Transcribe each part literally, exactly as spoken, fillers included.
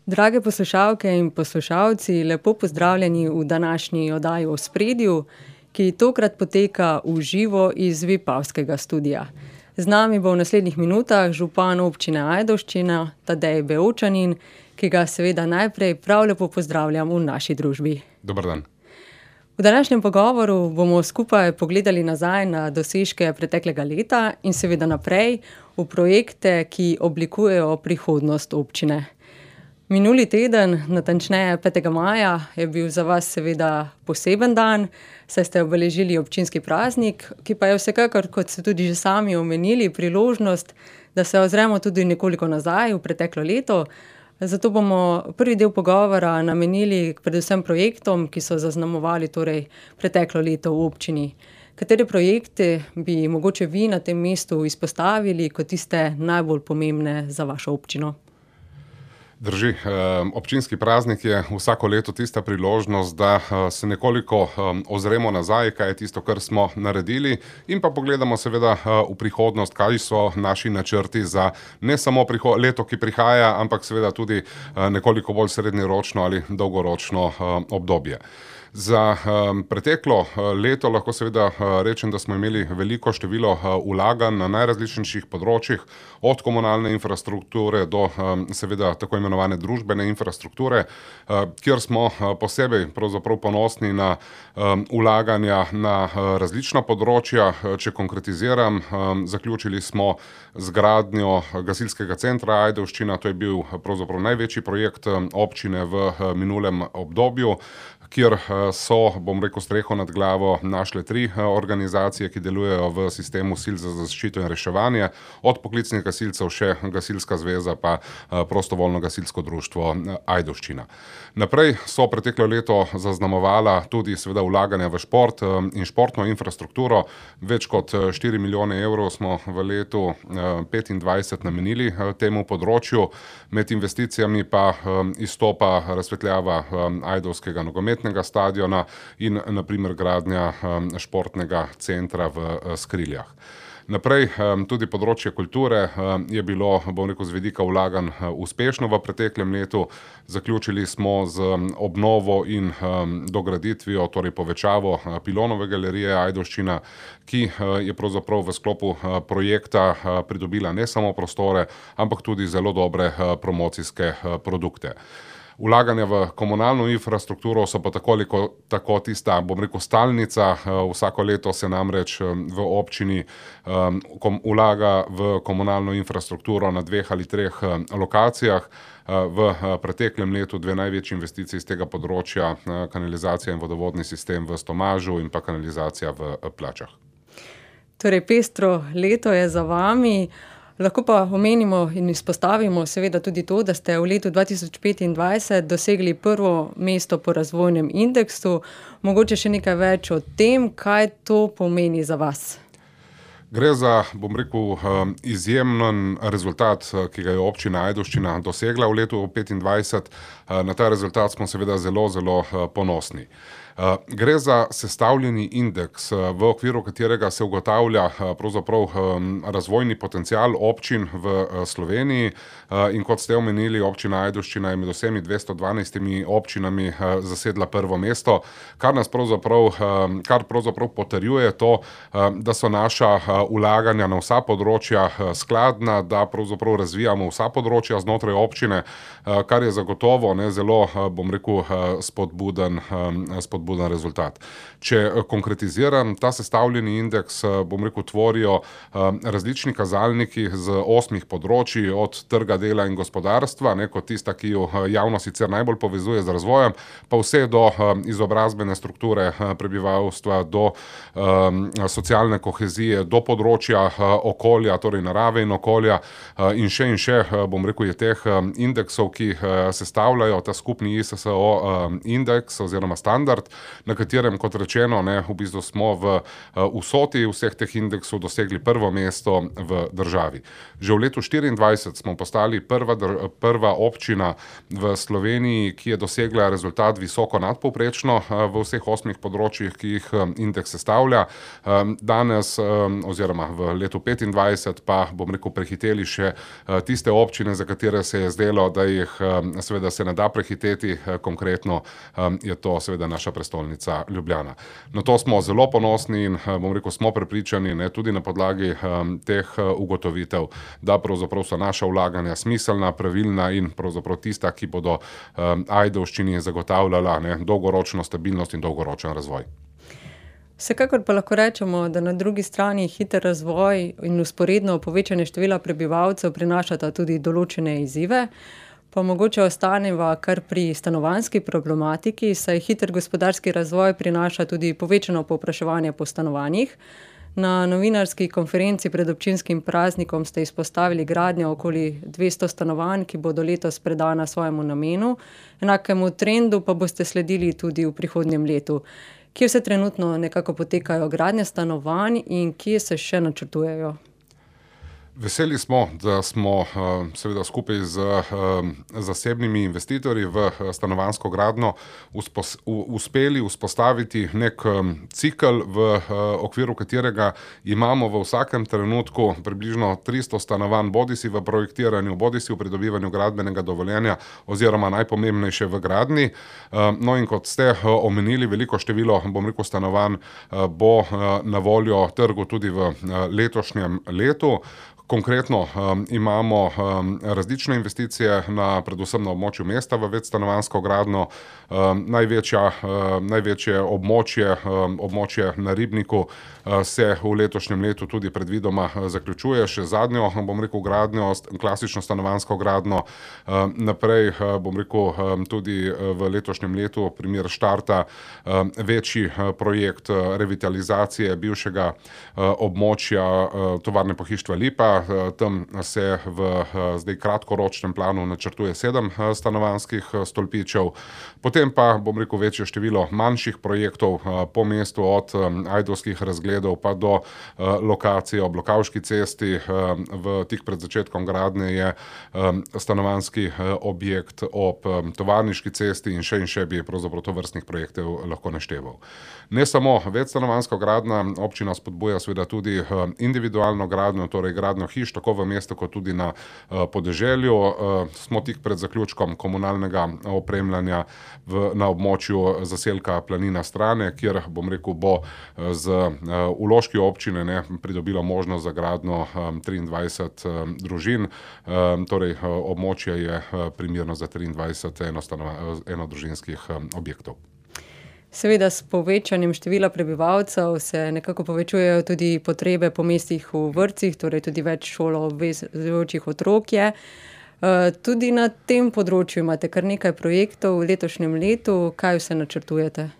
Drage poslušalke in poslušalci, lepo pozdravljeni v današnji oddaji v Ospredju, ki tokrat poteka v živo iz Vipavskega studia. Z nami bo v naslednjih minutah župan občine Ajdovščina, Tadej Bevčanin, ki ga seveda najprej prav lepo pozdravljam v naši družbi. Dober dan. V današnjem pogovoru bomo skupaj pogledali nazaj na dosežke preteklega leta in seveda naprej v projekte, ki oblikujejo prihodnost občine. Minuli teden, natančneje petega maja, je bil za vas seveda poseben dan, saj ste obeležili občinski praznik, ki pa je vsekakor, kot ste tudi že sami omenili, priložnost, da se ozremo tudi nekoliko nazaj v preteklo leto. Zato bomo prvi del pogovora namenili predvsem projektom, ki so zaznamovali torej preteklo leto v občini. Katere projekte bi mogoče vi na tem mestu izpostavili kot tiste najbolj pomembne za vašo občino? Drži, občinski praznik je vsako leto tista priložnost, da se nekoliko ozremo nazaj, kaj je tisto, kar smo naredili, in pa pogledamo seveda v prihodnost, kaj so naši načrti za ne samo leto, ki prihaja, ampak seveda tudi nekoliko bolj srednjeročno ali dolgoročno obdobje. Za um, preteklo leto lahko seveda rečem, da smo imeli veliko število vlaganj na najrazličnejših področjih, od komunalne infrastrukture do um, seveda tako imenovane družbene infrastrukture, uh, kjer smo posebej pravzaprav ponosni na um, vlaganja na uh, različna področja. Če konkretiziram, um, zaključili smo zgradnjo gasilskega centra Ajdovščina, to je bil pravzaprav največji projekt občine v uh, minulem obdobju, kjer so, bom rekel, streho nad glavo našle tri organizacije, ki delujejo v sistemu sil za zaščito in reševanje, od poklicnih gasilcev še Gasilska zveza pa prostovoljno gasilsko društvo Ajdovščina. Naprej so preteklo leto zaznamovala tudi seveda vlaganja v šport in športno infrastrukturo. Več kot štiri milijone evrov smo v letu petindvajset namenili temu področju. Med investicijami pa izstopa razsvetljava ajdovskega nogometnega stadiona in na primer gradnja športnega centra v Skriljah. Naprej tudi področje kulture je bilo, bom rekel, z vidika vlaganj uspešno v preteklem letu. Zaključili smo z obnovo in dograditvijo, torej povečavo Pilonove galerije Ajdovščina, ki je pravzaprav v sklopu projekta pridobila ne samo prostore, ampak tudi zelo dobre promocijske produkte. Vlaganja v komunalno infrastrukturo so pa tako ali tako tista, bom rekel, stalnica. Vsako leto se namreč v občini um, vlaga v komunalno infrastrukturo na dveh ali treh lokacijah. V preteklem letu dve največji investiciji iz tega področja, kanalizacija in vodovodni sistem v Stomažu in pa kanalizacija v Plačah. Torej, pestro leto je za vami. Lahko pa omenimo in izpostavimo seveda tudi to, da ste v letu dva tisoč petindvajset dosegli prvo mesto po razvojnem indeksu. Mogoče še nekaj več o tem, kaj to pomeni za vas? Gre za, bom rekel, izjemen rezultat, ki ga je občina Ajdovščina dosegla v letu petindvajset. Na ta rezultat smo seveda zelo, zelo ponosni. Gre za sestavljeni indeks, v okviru katerega se ugotavlja pravzaprav razvojni potencial občin v Sloveniji, in kot ste omenili, občina Ajdovščina je med vsemi dvesto dvanajstimi občinami zasedla prvo mesto, kar nas pravzaprav, kar pravzaprav potrjuje to, da so naša vlaganja na vsa področja skladna, da pravzaprav razvijamo vsa področja znotraj občine, kar je zagotovo ne, zelo, bom rekel, spodbuden, spodbuden buden rezultat. Če konkretiziram, ta sestavljeni indeks, bom rekel, tvorijo različni kazalniki z osmih področji, od trga dela in gospodarstva, ne, kot tista, ki jo javno sicer najbolj povezuje z razvojem, pa vse do izobrazbene strukture prebivalstva, do um, socialne kohezije, do področja okolja, torej narave in okolja, in še in še, bom rekel, je teh indeksov, ki sestavljajo ta skupni I S S O indeks oziroma standard, na katerem, kot rečeno, ne, v bistvu smo v vsoti vseh teh indeksov dosegli prvo mesto v državi. Že v letu štiriindvajset smo postali prva, prva občina v Sloveniji, ki je dosegla rezultat visoko nadpovprečno v vseh osmih področjih, ki jih indeks sestavlja. Danes oziroma v letu petindvajset pa, bom rekel, prehiteli še tiste občine, za katere se je zdelo, da jih seveda se ne da prehiteti, konkretno je to seveda naša prestolnica Ljubljana. Na to smo zelo ponosni in, bom rekel, smo prepričani, ne, tudi na podlagi teh ugotovitev, da pravzaprav so naša vlaganja smiselna, pravilna in pravzaprav tista, ki bodo Ajdovščini zagotavljala, ne, dolgoročno stabilnost in dolgoročen razvoj. Vsekakor pa lahko rečemo, da na drugi strani hiter razvoj in vzporedno povečanje števila prebivalcev prinašata tudi določene izzive. Pa mogoče ostaneva kar pri stanovanjski problematiki, saj hiter gospodarski razvoj prinaša tudi povečano povpraševanje po stanovanjih. Na novinarski konferenci pred občinskim praznikom ste izpostavili gradnjo okoli dvesto stanovanj, ki bodo letos predana svojemu namenu. Enakemu trendu pa boste sledili tudi v prihodnjem letu. Kje se trenutno nekako potekajo gradnje stanovanj in kje se še načrtujejo? Veseli smo, da smo seveda skupaj z zasebnimi investitorji v stanovanjsko gradnjo uspeli vzpostaviti nek cikel, v okviru katerega imamo v vsakem trenutku približno tristo stanovanj, bodisi v projektiranju, bodisi v pridobivanju gradbenega dovoljenja oziroma najpomembnejše v gradnji. No, in kot ste omenili, veliko število, bom rekel, stanovanj bo na voljo trgu tudi v letošnjem letu. Konkretno um, imamo um, različne investicije na, predvsem na območju mesta v večstanovanjsko gradnjo. Um, največja, um, največje območje, um, območje na Ribniku uh, se v letošnjem letu tudi predvidoma zaključuje, še zadnjo, bom rekel, gradnjo, klasično stanovanjsko gradnjo. Um, naprej, uh, bom rekel, um, tudi v letošnjem letu primer štarta um, večji uh, projekt uh, revitalizacije bivšega uh, območja uh, tovarne pohištva Lipa. Tam se v zdaj kratkoročnem planu načrtuje sedem stanovanjskih stolpičev. Potem pa, bom rekel, večje število manjših projektov po mestu, od ajdovskih razgledov pa do lokacije ob Lokavški cesti. V tik pred začetkom gradnje je stanovanjski objekt ob Tovarniški cesti in še in še bi pravzaprav tovrstnih projektov lahko našteval. Ne samo večstanovanjska gradnja, občina spodbuja seveda tudi individualno gradnjo, torej gradnjo hiš, tako v mestu kot tudi na uh, podeželju. Uh, smo tik pred zaključkom komunalnega opremljanja v, na območju zaselka Planina Strane, kjer, bom rekel, bo z uh, vložki občine, ne, pridobilo možnost za gradnjo um, triindvajset um, družin. Um, torej, uh, območje je uh, primerno za triindvajset enodružinskih um, objektov. Seveda s povečanjem števila prebivalcev se nekako povečujejo tudi potrebe po mestih v vrtcih, torej tudi več šoloobvezujočih otrok je. Tudi na tem področju imate kar nekaj projektov v letošnjem letu. Kaj vse načrtujete?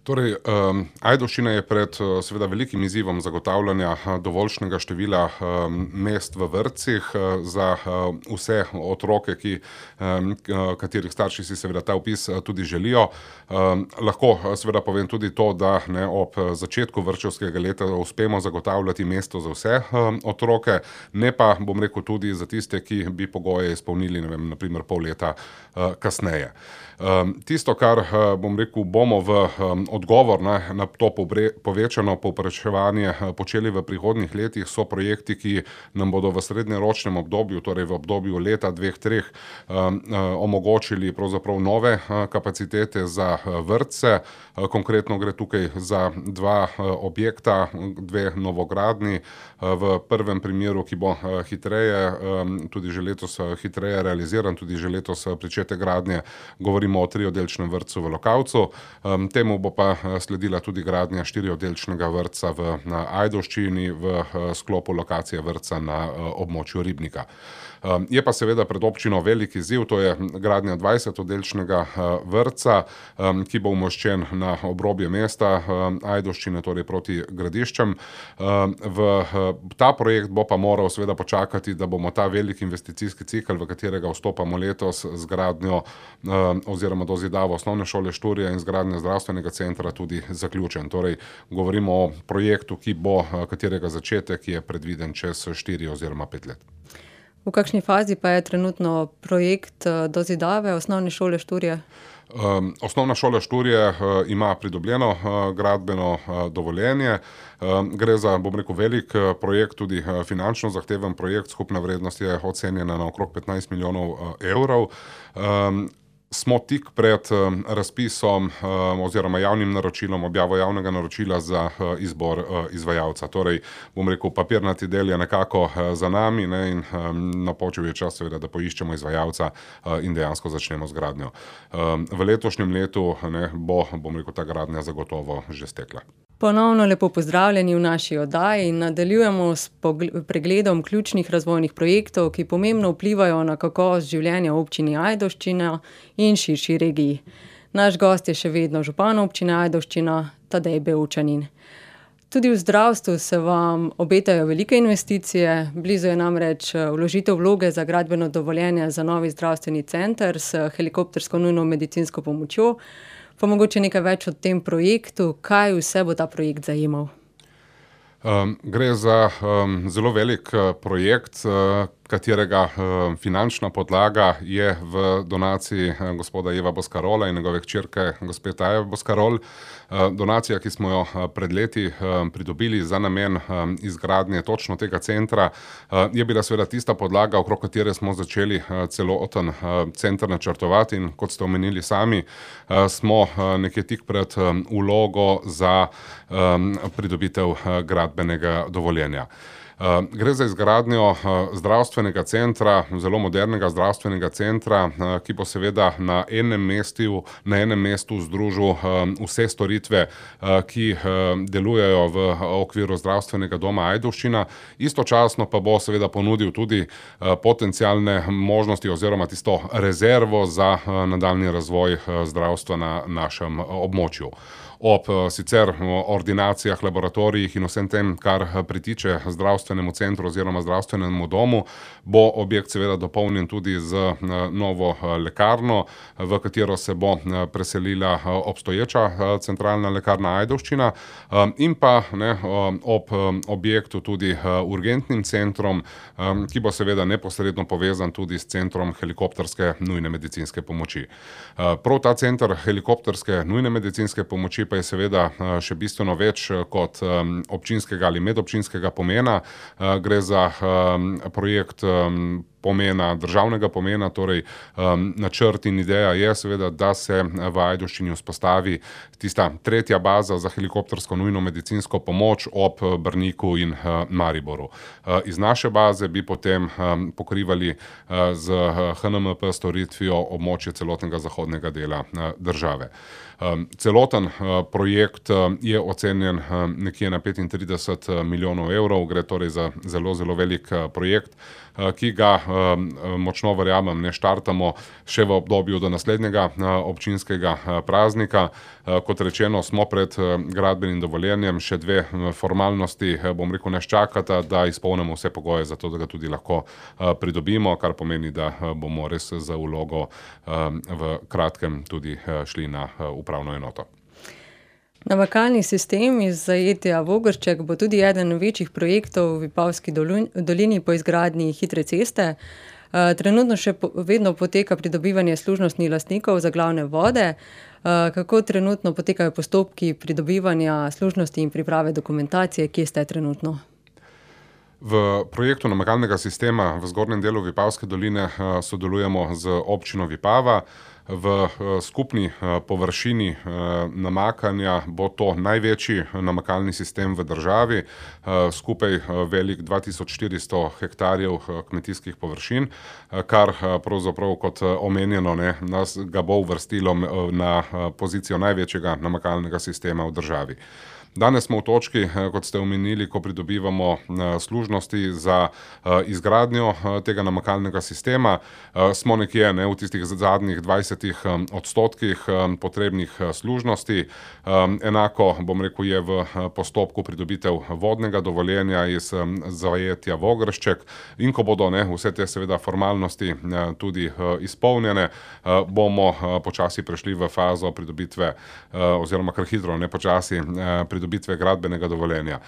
Torej, um, Ajdovščina je pred seveda velikim izzivom zagotavljanja dovoljšnega števila um, mest v vrtcih uh, za uh, vse otroke, ki, um, katerih starši si seveda ta vpis tudi želijo. Um, lahko seveda povem tudi to, da, ne, ob začetku vrtčevskega leta uspemo zagotavljati mesto za vse um, otroke, ne pa, bom rekel, tudi za tiste, ki bi pogoje izpolnili, ne vem, na primer pol leta uh, kasneje. Um, tisto, kar, uh, bom rekel, bomo v um, odgovor na, na to povečano povpraševanje počeli v prihodnjih letih, so projekti, ki nam bodo v srednjeročnem obdobju, torej v obdobju leta, dveh, treh, um, omogočili pravzaprav nove uh, kapacitete za uh, vrtce. Uh, konkretno gre tukaj za dva uh, objekta, dve novogradnji. Uh, v prvem primeru, ki bo uh, hitreje, um, tudi že letos uh, hitreje realiziran, tudi že letos uh, pričetek gradnje, govorimo o trioddelčnem vrtcu v Lokavcu. Um, temu bo pa sledila tudi gradnja štirioddelčnega vrtca v Ajdovščini v sklopu lokacije vrtca na območju Ribnika. Je pa seveda pred občino velik izziv, to je gradnja dvajsetoddelčnega vrtca, ki bo umoščen na obrobje mesta Ajdovščine, torej proti Gradiščem. V ta projekt bo pa moral seveda počakati, da bomo ta velik investicijski cikel, v katerega vstopamo letos z gradnjo oziroma dozidavo osnovne šole Šturje in zgradnjo zdravstvenega centra tudi zaključen. Torej, govorimo o projektu, ki bo, katerega začetek je predviden čez štiri oziroma pet let. V kakšni fazi pa je trenutno projekt dozidave osnovne šole Šturje? Osnovna šola Šturje ima pridobljeno gradbeno dovoljenje. Gre za, bom rekel, velik projekt, tudi finančno zahteven projekt, skupna vrednost je ocenjena na okrog petnajst milijonov evrov. Smo tik pred razpisom oziroma javnim naročilom, objavo javnega naročila za izbor izvajalca. Torej, bom rekel, papirnati del je nekako za nami, ne, in napočil je čas seveda, da poiščemo izvajalca in dejansko začnemo z gradnjo. V letošnjem letu, ne, bo, bom rekel, ta gradnja zagotovo že stekla. Ponovno lepo pozdravljeni v naši oddaji in nadaljujemo s pregledom ključnih razvojnih projektov, ki pomembno vplivajo na kakovost življenja v občini Ajdovščina in širši regiji. Naš gost je še vedno župan občine Ajdovščina, Tadej Bevčanin. Tudi v zdravstvu se vam obetajo velike investicije, blizu je namreč vložitev vloge za gradbeno dovoljenje za novi zdravstveni center s helikoptersko nujno medicinsko pomočjo. Pa mogoče nekaj več o tem projektu, kaj vse bo ta projekt zajemal? Um, gre za um, zelo velik uh, projekt, uh, katerega uh, finančna podlaga je v donaciji uh, gospoda Eva Boscarola in njegove hčerke gospe Taje Boscarol. Uh, donacija, ki smo jo uh, pred leti uh, pridobili za namen um, izgradnje točno tega centra, uh, je bila seveda tista podlaga, okrog katere smo začeli uh, celoten uh, center načrtovati, in kot ste omenili sami, uh, smo uh, nekje tik pred um, vlogo za um, pridobitev uh, gradbenega dovoljenja. Uh, gre za izgradnjo uh, zdravstvenega centra, zelo modernega zdravstvenega centra, uh, ki bo seveda na enem mestu, na enem mestu združil uh, vse storitve, uh, ki uh, delujejo v okviru zdravstvenega doma Ajdovščina. Istočasno pa bo seveda ponudil tudi uh, potencialne možnosti oziroma tisto rezervo za uh, nadaljnji razvoj uh, zdravstva na našem uh, območju. Ob sicer ordinacijah, laboratorijih in vsem tem, kar pritiče zdravstvenemu centru oziroma zdravstvenemu domu, bo objekt seveda dopolnjen tudi z novo lekarno, v katero se bo preselila obstoječa centralna lekarna Ajdovščina, in pa ne, ob objektu tudi urgentnim centrom, ki bo seveda neposredno povezan tudi s centrom helikopterske nujne medicinske pomoči. Prav ta center helikopterske nujne medicinske pomoči pa je seveda še bistveno več kot občinskega ali medobčinskega pomena. Gre za projekt pomena, državnega pomena, torej um, načrt in ideja je seveda, da se v Ajdovščini vzpostavi tista tretja baza za helikoptersko nujno medicinsko pomoč ob Brniku in uh, Mariboru. Uh, iz naše baze bi potem um, pokrivali uh, z H N M P storitvijo območje celotnega zahodnega dela uh, države. Um, celoten uh, projekt uh, je ocenjen uh, nekje na petintrideset milijonov evrov, gre torej za zelo, zelo velik uh, projekt, uh, ki ga uh, močno verjamem, ne štartamo še v obdobju do naslednjega uh, občinskega uh, praznika. Uh, kot rečeno, smo pred uh, gradbenim dovoljenjem, še dve uh, formalnosti, uh, bom rekel, nas čakata, da izpolnimo vse pogoje za to, da ga tudi lahko uh, pridobimo, kar pomeni, da uh, bomo res za vlogo uh, v kratkem tudi uh, šli na uh, upravno enoto. Namakalni sistem iz zajetja Vogršček bo tudi eden večjih projektov v Vipavski dolini po izgradnji hitre ceste. Trenutno še vedno poteka pridobivanje služnostnih lastnikov za glavne vode. Kako trenutno potekajo postopki pridobivanja služnosti in priprave dokumentacije, kje ste trenutno? V projektu namakalnega sistema v zgornjem delu Vipavske doline sodelujemo z občino Vipava. V skupni površini namakanja bo to največji namakalni sistem v državi, skupaj velik dva tisoč štiristo hektarjev kmetijskih površin, kar pravzaprav kot omenjeno, ne, nas ga bo uvrstilo na pozicijo največjega namakalnega sistema v državi. Danes smo v točki, kot ste omenili, ko pridobivamo služnosti za izgradnjo tega namakalnega sistema. Smo nekje ne, v tistih zadnjih dvajsetih odstotkih potrebnih služnosti. Enako, bom rekel, je v postopku pridobitev vodnega dovoljenja iz zajetja Vogršček in ko bodo ne, vse te seveda formalnosti tudi izpolnjene, bomo počasi prešli v fazo pridobitve oziroma kar hitro, ne počasi, pridobitve gradbenega dovoljenja.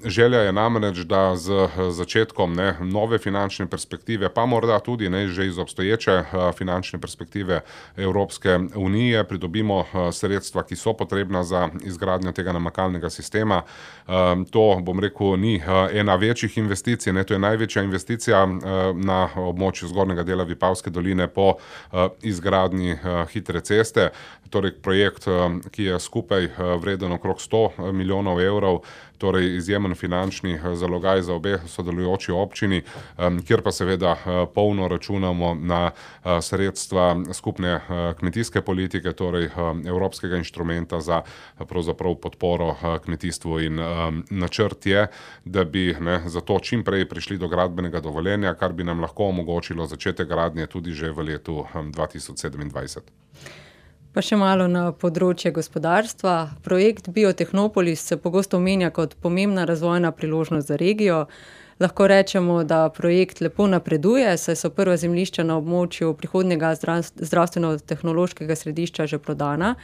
Želja je namreč, da z začetkom ne, nove finančne perspektive, pa morda tudi ne, že iz obstoječe finančne perspektive Evropske unije pridobimo sredstva, ki so potrebna za izgradnjo tega namakalnega sistema. To, bom rekel, ni ena večjih investicij, ne, to je največja investicija na območju zgornjega dela Vipavske doline po izgradnji hitre ceste. Torej projekt, ki je skupaj vreden okrog sto milijonov evrov, torej izjemen finančni zalogaj za obe sodelujoči občini, kjer pa seveda polno računamo na sredstva skupne kmetijske politike, torej evropskega inštrumenta za pravzaprav podporo kmetijstvu in načrt je, da bi ne, zato čim prej prišli do gradbenega dovoljenja, kar bi nam lahko omogočilo začetek gradnje tudi že v letu dva tisoč sedemindvajset. Pa še malo na področje gospodarstva. Projekt Biotehnopolis se pogosto omenja kot pomembna razvojna priložnost za regijo. Lahko rečemo, da projekt lepo napreduje, saj so prva zemljišča na območju prihodnjega zdravstveno-tehnološkega središča že prodana.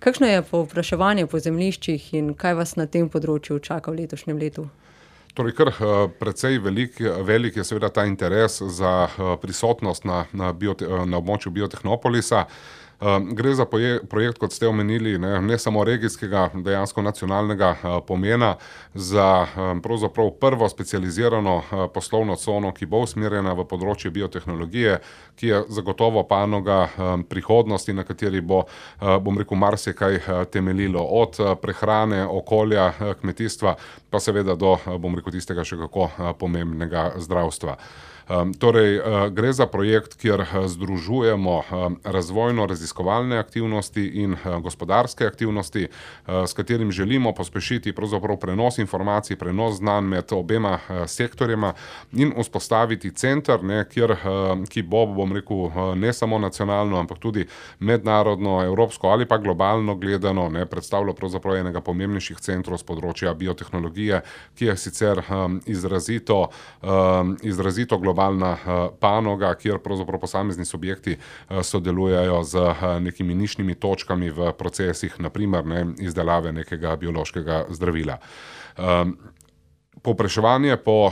Kakšno je povpraševanje po zemljiščih in kaj vas na tem področju čaka v letošnjem letu? Torej, kar precej velik, velik je seveda ta interes za prisotnost na, na, biote, na območju Biotehnopolisa. Gre za projekt, kot ste omenili, ne, ne samo regijskega, dejansko nacionalnega pomena, za pravzaprav prvo specializirano poslovno cono, ki bo usmerjena v področje biotehnologije, ki je zagotovo panoga prihodnosti, na kateri bo, bom rekel, marsikaj temeljilo od prehrane, okolja, kmetijstva, pa seveda do, bom rekel, tistega še kako pomembnega zdravstva. Torej, gre za projekt, kjer združujemo razvojno-raziskovalne aktivnosti in gospodarske aktivnosti, s katerim želimo pospešiti pravzaprav prenos informacij, prenos znanj med obema sektorjema in vzpostaviti center, ne, kjer, ki bo, bom rekel, ne samo nacionalno, ampak tudi mednarodno, evropsko ali pa globalno gledano, ne, predstavlja pravzaprav enega pomembnejših centrov z področja biotehnologije, ki je sicer izrazito, izrazito globalno panoga, kjer pravzaprav posamezni subjekti sodelujejo z nekimi nišnimi točkami v procesih, na primer ne, izdelave nekega biološkega zdravila. Povpraševanje po,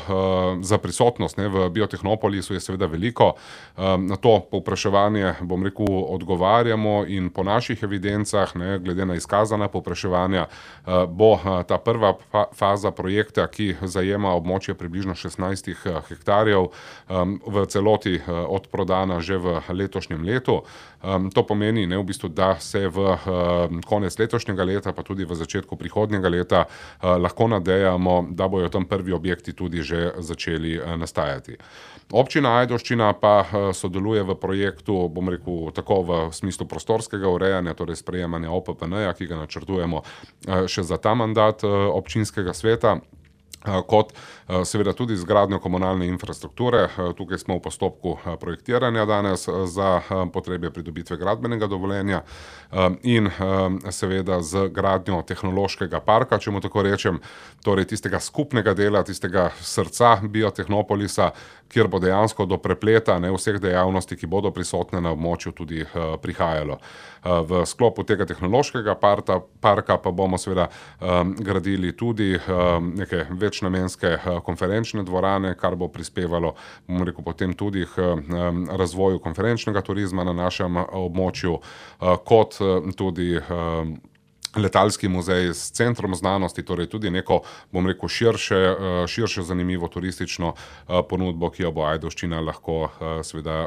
za prisotnost ne, v Biotehnopolisu je seveda veliko. Na to povpraševanje, bom rekel, odgovarjamo in po naših evidencah, ne, glede na izkazana povpraševanja, bo ta prva faza projekta, ki zajema območje približno šestnajst hektarjev, v celoti odprodana že v letošnjem letu. To pomeni, ne, v bistvu, da se v konec letošnjega leta, pa tudi v začetku prihodnjega leta lahko nadejamo, da bojo tam prvi objekti tudi že začeli nastajati. Občina Ajdovščina pa sodeluje v projektu, bom rekel, tako v smislu prostorskega urejanja, torej sprejemanja O P P N-ja, ki ga načrtujemo še za ta mandat občinskega sveta, kot seveda tudi izgradnjo komunalne infrastrukture. Tukaj smo v postopku projektiranja danes za potrebe pridobitve gradbenega dovoljenja in seveda z gradnjo tehnološkega parka, če mu tako rečem, torej tistega skupnega dela, tistega srca Biotehnopolisa, kjer bo dejansko do prepleta ne, vseh dejavnosti, ki bodo prisotne na območju, tudi prihajalo. V sklopu tega tehnološkega parta, parka pa bomo seveda gradili tudi neke večnamenske konferenčne dvorane, kar bo prispevalo, bom rekel, potem tudi k razvoju konferenčnega turizma na našem območju, kot tudi letalski muzej s centrom znanosti, torej tudi neko, bom rekel, širše, širše zanimivo turistično ponudbo, ki jo bo Ajdovščina lahko seveda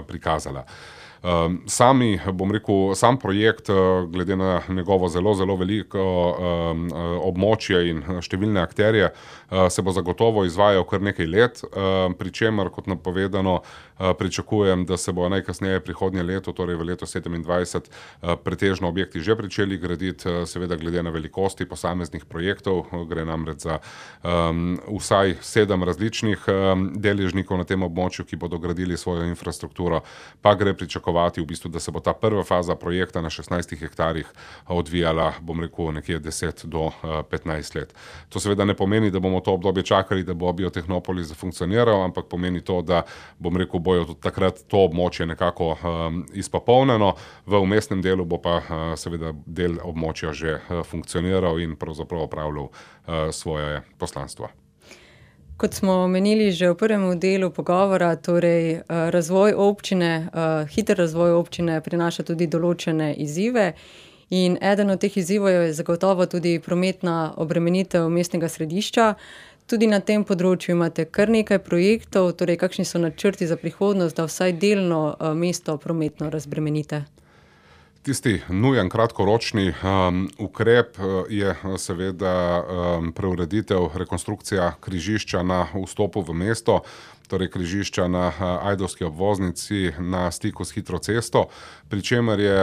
prikazala. Sami, bom rekel, sam projekt, glede na njegovo zelo, zelo veliko območje in številne akterje, se bo zagotovo izvajal kar nekaj let, pri čemer, kot napovedano, pričakujem, da se bo najkasneje prihodnje leto, torej v letu sedemindvajset, pretežno objekti že pričeli graditi, seveda glede na velikosti posameznih projektov, gre namreč za um, vsaj sedem različnih um, deležnikov na tem območju, ki bodo gradili svojo infrastrukturo, pa gre pričakovati v bistvu, da se bo ta prva faza projekta na šestnajstih hektarjih odvijala, bom rekel, nekje deset do petnajst let. To seveda ne pomeni, da bomo to obdobje čakali, da bo Biotehnopolis funkcioniral, ampak pomeni to, da, bom rekel, bojo tudi takrat to območje nekako um, izpopolnjeno, v vmesnem delu bo pa uh, seveda del območja že uh, funkcioniral in pravzaprav opravljal uh, svoje poslanstvo. Kot smo omenili že v prvem delu pogovora, torej razvoj občine, hiter razvoj občine prinaša tudi določene izzive in eden od teh izzivov je zagotovo tudi prometna obremenitev mestnega središča. Tudi na tem področju imate kar nekaj projektov, torej kakšni so načrti za prihodnost, da vsaj delno mesto prometno razbremenite? Tisti nujen kratkoročni um, ukrep je seveda um, preureditev, rekonstrukcija križišča na vstopu v mesto, torej križišča na ajdovski obvoznici na stiku s hitro cesto, pri čemer je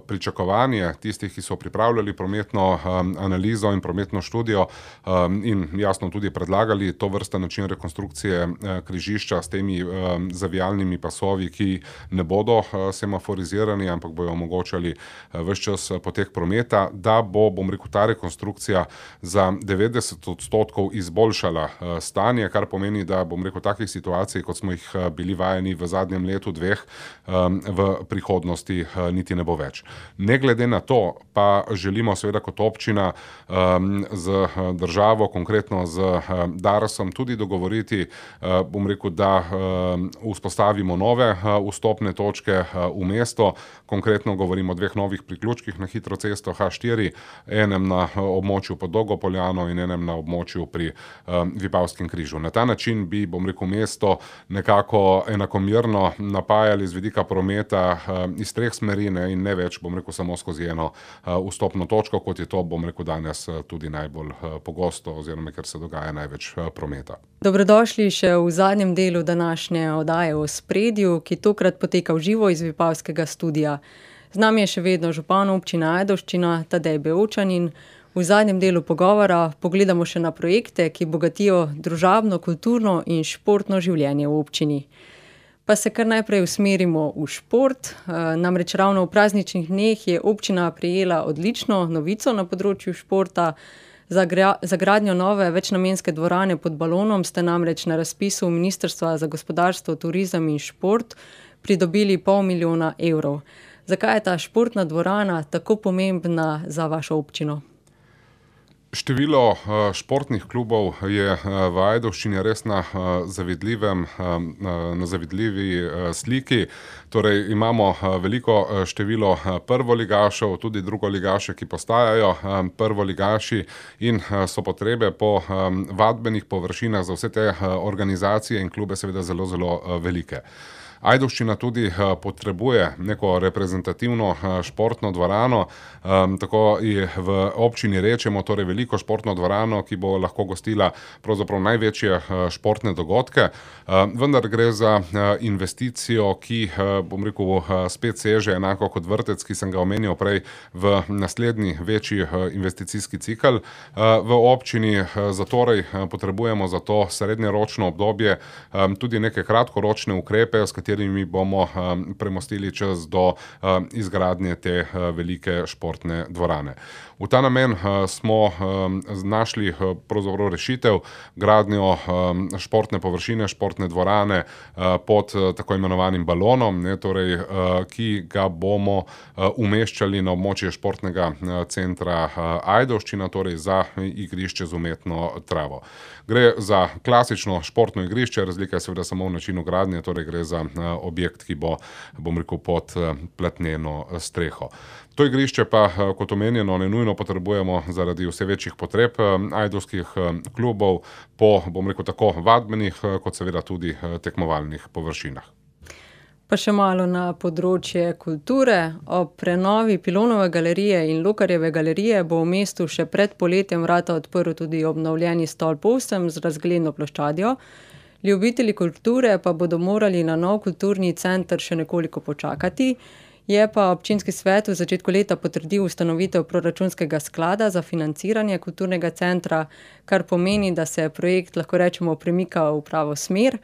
pričakovanje tistih, ki so pripravljali prometno analizo in prometno študijo in jasno tudi predlagali to vrsta način rekonstrukcije križišča s temi zavijalnimi pasovi, ki ne bodo semaforizirani, ampak bojo omogočali ves čas potek prometa, da bo, bom rekel, ta rekonstrukcija za devetdeset odstotkov izboljšala stanje, kar pomeni, da, bom rekel, takih situacij, kot smo jih bili vajeni v zadnjem letu, dveh, v prihodnosti niti ne bo več. Ne glede na to, pa želimo seveda kot občina z državo, konkretno z Darsom, tudi dogovoriti, bom rekel, da vzpostavimo nove vstopne točke v mesto, konkretno govorimo o dveh novih priključkih na hitro cesto H štiri, enem na območju pod Dolgo Poljano in enem na območju pri Vipavskem križu. Na ta način bi, bom rekel, mesto nekako enakomerno napajali z vidika prometa iz treh smeri in ne več, bom rekel, samo skozi eno vstopno točko, kot je to, bom rekel, danes tudi najbolj pogosto oziroma ker se dogaja največ prometa. Dobrodošli še v zadnjem delu današnje oddaje v Ospredju, ki tokrat poteka v živo iz Vipavskega studia. Z nami je še vedno župan občine Ajdovščina Tadej Bevčan in v zadnjem delu pogovora pogledamo še na projekte, ki bogatijo družabno, kulturno in športno življenje v občini. Pa se kar najprej usmerimo v šport, namreč ravno v prazničnih dneh je občina prejela odlično novico na področju športa. Za, gra, za gradnjo nove večnamenske dvorane pod Balonom ste namreč na razpisu Ministrstva za gospodarstvo, turizem in šport pridobili pol milijona evrov. Zakaj je ta športna dvorana tako pomembna za vašo občino? Število športnih klubov je v Ajdovščini res na zavidljivem, na zavidljivi sliki. Torej imamo veliko število prvoligašev, tudi drugoligaše, ki postajajo prvoligaši in so potrebe po vadbenih površinah za vse te organizacije in klube seveda zelo, zelo velike. Ajdovščina tudi potrebuje neko reprezentativno športno dvorano, tako v občini rečemo, torej veliko športno dvorano, ki bo lahko gostila pravzaprav največje športne dogodke, vendar gre za investicijo, ki, bom rekel, spet seže enako kot vrtec, ki sem ga omenil prej, v naslednji večji investicijski cikel v občini, zatorej potrebujemo za to srednjeročno obdobje tudi neke kratkoročne ukrepe, s katerimi bomo um, premostili čas do um, izgradnje te uh, velike športne dvorane. V ta namen uh, smo um, našli uh, pravzaprav rešitev gradnjo um, športne površine, športne dvorane uh, pod uh, tako imenovanim balonom, ne, torej, uh, ki ga bomo uh, umeščali na območje športnega uh, centra uh, Ajdovščina, torej za igrišče z umetno travo. Gre za klasično športno igrišče, razlika je seveda samo v načinu gradnje, torej gre za objekt, ki bo, bom rekel, pod platneno streho. To igrišče pa, kot omenjeno, ne nujno potrebujemo zaradi vse večjih potreb ajdovskih klubov po, bom rekel, tako vadbenih, kot seveda tudi tekmovalnih površinah. Pa še malo na področje kulture. Ob prenovi Pilonove galerije in Lokarjeve galerije bo v mestu še pred poletjem vrata odprl tudi obnovljeni Stolp osem z razgledno ploščadjo. Ljubitelji kulture pa bodo morali na nov kulturni center še nekoliko počakati. Je pa občinski svet v začetku leta potrdil ustanovitev proračunskega sklada za financiranje kulturnega centra, kar pomeni, da se projekt, lahko rečemo, premika v pravo smer.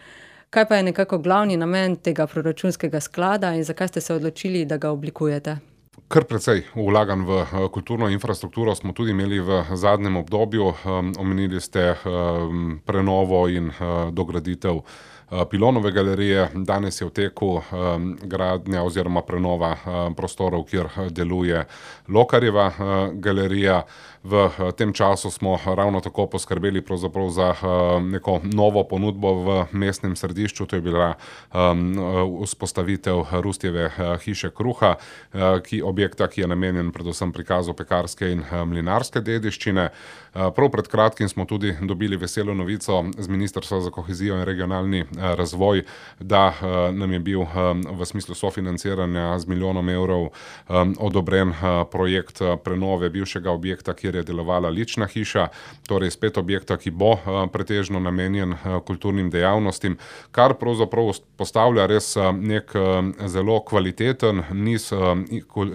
Kaj pa je nekako glavni namen tega proračunskega sklada in zakaj ste se odločili, da ga oblikujete? Kar precej vlaganj v kulturno infrastrukturo smo tudi imeli v zadnjem obdobju. Omenili ste prenovo in dograditev Pilonove galerije. Danes je v teku gradnja oziroma prenova prostorov, kjer deluje Lokarjeva galerija. V tem času smo ravno tako poskrbeli pravzaprav za neko novo ponudbo v mestnem središču. To je bila vzpostavitev Rustjeve hiše kruha, ki objekta, ki je namenjen predvsem prikazu pekarske in mlinarske dediščine. Prav pred kratkim smo tudi dobili veselo novico z Ministrstva za kohezijo in regionalni razvoj, da nam je bil v smislu sofinanciranja z milijonom evrov odobren projekt prenove bivšega objekta, kjer je delovala lična hiša, torej spet objekta, ki bo pretežno namenjen kulturnim dejavnostim, kar pravzaprav postavlja res nek zelo kvaliteten niz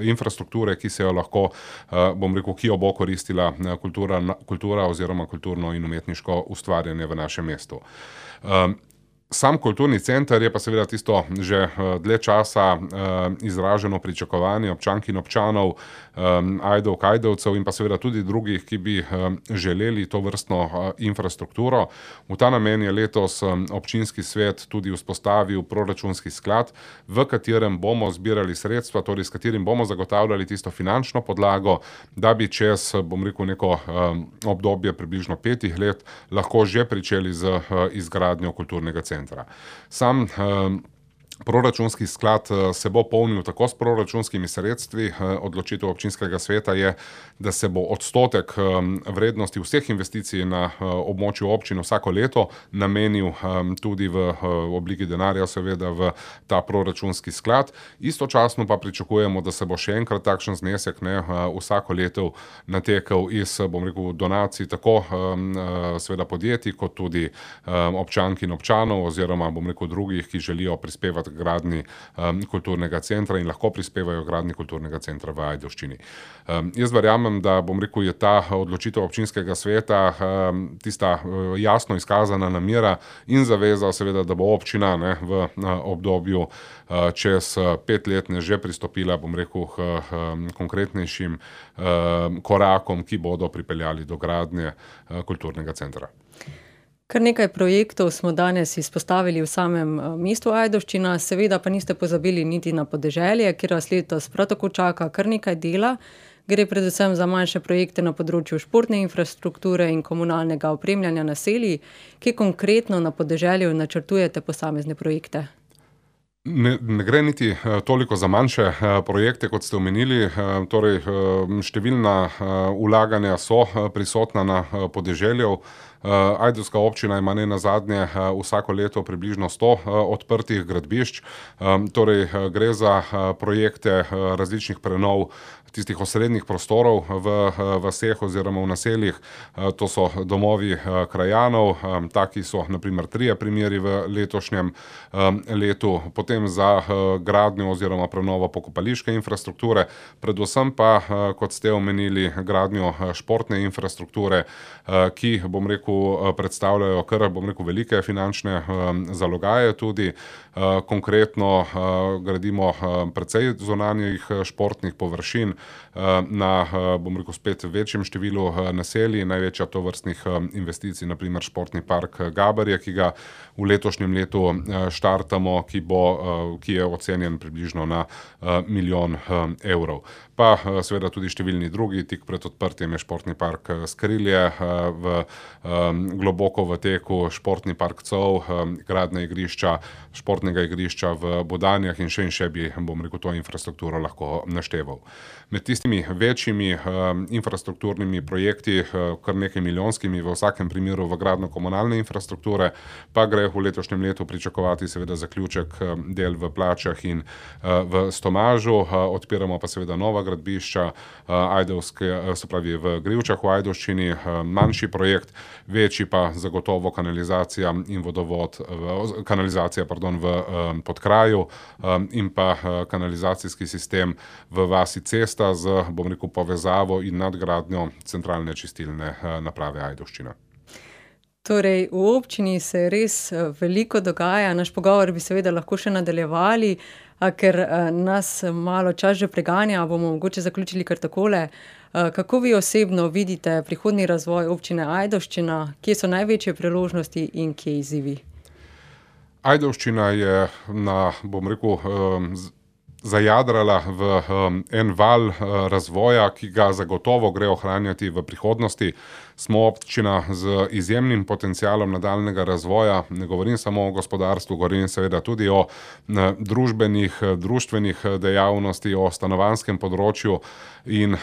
infrastrukture, ki se jo lahko, bom rekel, ki jo bo koristila kultura, kultura oziroma kulturno in umetniško ustvarjanje v našem mestu. Sam kulturni center je pa seveda tisto že dlje časa izraženo pričakovanje občank in občanov, Ajdovk, Ajdovcev in pa seveda tudi drugih, ki bi želeli to vrstno infrastrukturo. V ta namen je letos občinski svet tudi vzpostavil proračunski sklad, v katerem bomo zbirali sredstva, torej s katerim bomo zagotavljali tisto finančno podlago, da bi čez, bom rekel, neko obdobje približno petih let lahko že pričeli z izgradnjo kulturnega centra. Sam proračunski sklad se bo polnil tako s proračunskimi sredstvi. Odločitev občinskega sveta je, da se bo odstotek vrednosti vseh investicij na območju občin vsako leto namenil tudi v obliki denarja seveda v ta proračunski sklad. Istočasno pa pričakujemo, da se bo še enkrat takšen znesek ne, vsako leto natekel iz, bom rekel, donacij tako seveda podjetij kot tudi občank in občanov oziroma, bom rekel, drugih, ki želijo prispevati gradnji um, kulturnega centra in lahko prispevajo gradnji kulturnega centra v Ajdovščini. Um, jaz verjamem, da, bom rekel, je ta odločitev občinskega sveta um, tista uh, jasno izkazana namera in zaveza seveda, da bo občina ne, v uh, obdobju uh, čez uh, pet let ne že pristopila, bom rekel, k um, konkretnejšim um, korakom, ki bodo pripeljali do gradnje uh, kulturnega centra. Kar nekaj projektov smo danes izpostavili v samem mestu Ajdovščina, seveda pa niste pozabili niti na podeželje, kjer vas letos prav tako čaka kar nekaj dela. Gre predvsem za manjše projekte na področju športne infrastrukture in komunalnega opremljanja naselij. Kje konkretno na podeželju načrtujete posamezne projekte? Ne, ne gre niti toliko za manjše projekte, kot ste omenili. Torej, številna vlaganja so prisotna na podeželju. Ajdovska občina ima ne nazadnje vsako leto približno sto odprtih gradbišč. Torej, gre za projekte različnih prenov tistih osrednjih prostorov v vaseh oziroma v naseljih. To so domovi krajanov, taki so na primer trije primeri v letošnjem letu. Potem za gradnjo oziroma prenovo pokopališke infrastrukture, predvsem pa, kot ste omenili, gradnjo športne infrastrukture, ki, bom rekel, predstavljajo kar, bom rekel, velike finančne zalogaje tudi. Konkretno gradimo precej zunanjih športnih površin na, bom rekel, spet večjem številu naselij. Največja tovrstnih investicij, na primer športni park Gaberje, ki ga v letošnjem letu štartamo, ki bo, ki je ocenjen približno na milijon evrov. Pa seveda tudi številni drugi, tik pred odprtjem je športni park Skrilje v globoko v teku športni park Col, gradnja igrišča, športnega igrišča v Budanjah in še in še bi, bom rekel, to infrastrukturo lahko našteval. Med tistimi večjimi infrastrukturnimi projekti, kar nekaj milijonskimi v vsakem primeru v gradnjo komunalne infrastrukture, pa gre v letošnjem letu pričakovati seveda zaključek del v Plačah in v Stomažu, odpiramo pa seveda nova gradbišča, Ajdovske, se pravi v Grivčah v Ajdovščini, manjši projekt, večji pa zagotovo kanalizacija in vodovod, kanalizacija, pardon, v Podkraju in pa kanalizacijski sistem v vasi Cesta z, bom rekel, povezavo in nadgradnjo centralne čistilne naprave Ajdovščina. Torej, v občini se res veliko dogaja, naš pogovor bi seveda lahko še nadaljevali, a ker nas malo čas že preganja, bomo mogoče zaključili kar takole. Kako vi osebno vidite prihodnji razvoj občine Ajdovščina, kje so največje priložnosti in kje izzivi? Ajdovščina je na, bom rekel, zajadrala v en val razvoja, ki ga zagotovo gre ohranjati v prihodnosti. Smo občina z izjemnim potencialom nadaljnjega razvoja, ne govorim samo o gospodarstvu, govorim seveda tudi o družbenih, društvenih dejavnosti, o stanovanjskem področju in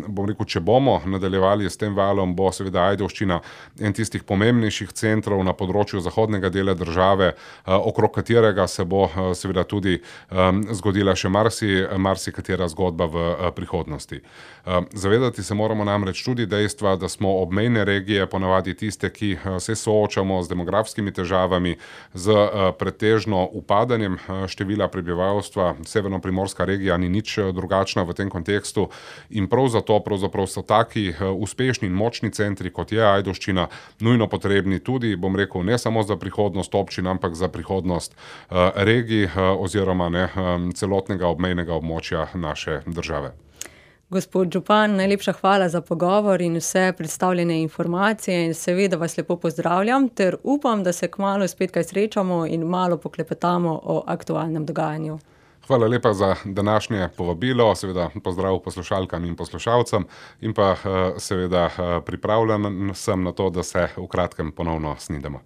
bom rekel, če bomo nadaljevali s tem valom, bo seveda Ajdovščina en tistih pomembnejših centrov na področju zahodnega dela države, okrog katerega se bo seveda tudi zgodila še marsi, marsikatera zgodba v prihodnosti. Zavedati se moramo namreč tudi dejstva, da smo obmejne regije ponavadi tiste, ki se soočamo z demografskimi težavami, z pretežno upadanjem števila prebivalstva. Severnoprimorska regija ni nič drugačna v tem kontekstu in prav zato pravzaprav so taki uspešni in močni centri, kot je Ajdovščina, nujno potrebni tudi, bom rekel, ne samo za prihodnost občin, ampak za prihodnost regij oziroma ne celotnega obmejnega območja naše države. Gospod župan, najlepša hvala za pogovor in vse predstavljene informacije in seveda vas lepo pozdravljam ter upam, da se kmalu spet kaj srečamo in malo poklepetamo o aktualnem dogajanju. Hvala lepa za današnje povabilo, seveda pozdrav poslušalkam in poslušalcem in pa seveda pripravljen sem na to, da se v kratkem ponovno snidemo.